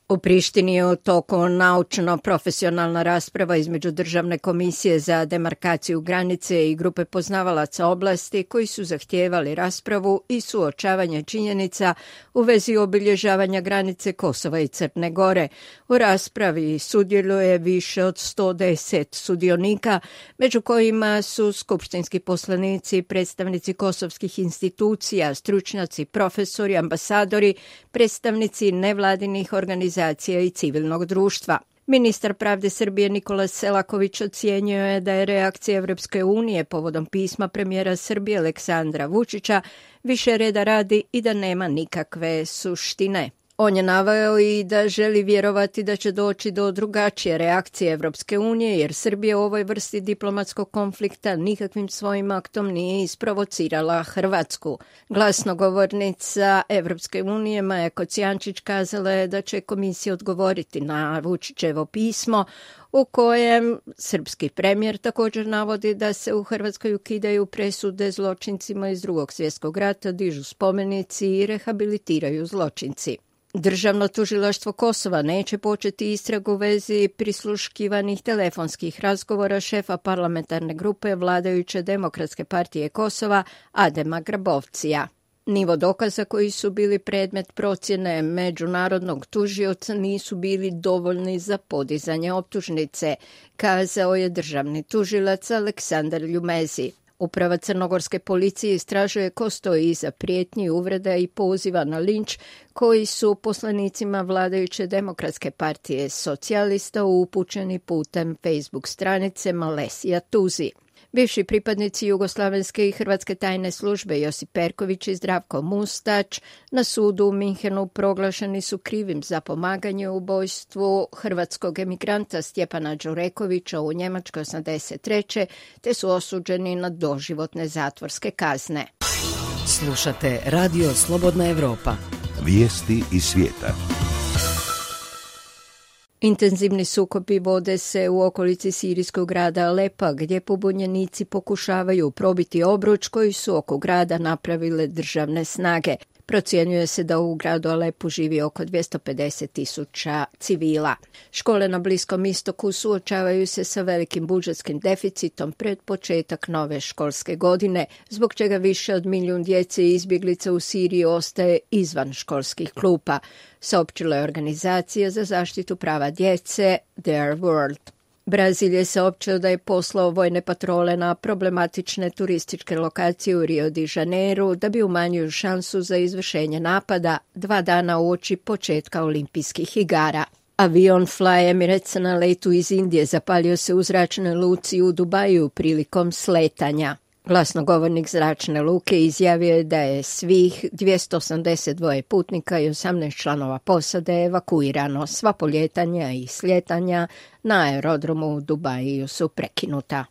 U Prištini je u toku naučno-profesionalna rasprava između Državne komisije za demarkaciju granice i grupe poznavalaca oblasti koji su zahtijevali raspravu i suočavanje činjenica u vezi obilježavanja granice Kosova i Crne Gore. U raspravi sudjeluje više od 110 sudionika, među kojima su skupštinski poslanici, predstavnici kosovskih institucija, stručnjaci, profesori, ambasadori, predstavnici nevladinih organizacija i civilnog društva. Ministar pravde Srbije Nikola Selaković ocijenio je da je reakcija Evropske unije povodom pisma premijera Srbije Aleksandra Vučića više reda radi i da nema nikakve suštine. On je naveo i da želi vjerovati da će doći do drugačije reakcije Evropske unije, jer Srbija u ovoj vrsti diplomatskog konflikta nikakvim svojim aktom nije isprovocirala Hrvatsku. Glasnogovornica Evropske unije Maja Kocijančić kazala je da će komisija odgovoriti na Vučićevo pismo, u kojem srpski premijer također navodi da se u Hrvatskoj ukidaju presude zločincima iz Drugog svjetskog rata, dižu spomenici i rehabilitiraju zločinci. Državno tužilaštvo Kosova neće početi istragu u vezi prisluškivanih telefonskih razgovora šefa parlamentarne grupe vladajuće Demokratske partije Kosova Adema Grabovcija. Nivo dokaza koji su bili predmet procjene međunarodnog tužioca nisu bili dovoljni za podizanje optužnice, kazao je državni tužilac Aleksandar Ljumezi. Uprava crnogorske policije istražuje ko stoji iza prijetnji, uvreda i poziva na linč koji su poslanicima vladajuće Demokratske partije socijalista upućeni putem Facebook stranice Malesija Tuzi. Bivši pripadnici jugoslavenske i hrvatske tajne službe Josip Perković i Zdravko Mustač na sudu u Minhenu proglašeni su krivim za pomaganje u ubojstvu hrvatskog emigranta Stjepana Đurekovića u Njemačkoj 1983. te su osuđeni na doživotne zatvorske kazne. Slušate Radio Slobodna Evropa. Vijesti iz svijeta. Intenzivni sukobi vode se u okolici sirijskog grada Alepa, gdje pobunjenici pokušavaju probiti obruč koji su oko grada napravile državne snage. Procjenjuje se da u gradu Alepu živi oko 250.000 civila. Škole na Bliskom istoku suočavaju se sa velikim budžetskim deficitom pred početak nove školske godine, zbog čega više od 1 milijun djece i izbjeglica u Siriji ostaje izvan školskih klupa, saopćila je organizacija za zaštitu prava djece Their World. Brazil je saopćio da je poslao vojne patrole na problematične turističke lokacije u Rio de Janeiro da bi umanjio šansu za izvršenje napada 2 dana uoči početka olimpijskih igara. Avion Fly Emirates na letu iz Indije zapalio se u zračnoj luci u Dubaju prilikom sletanja. Glasnogovornik zračne luke izjavio je da je svih 282 putnika i 18 članova posade evakuirano. Sva poljetanja i slijetanja na aerodromu u Dubaju su prekinuta.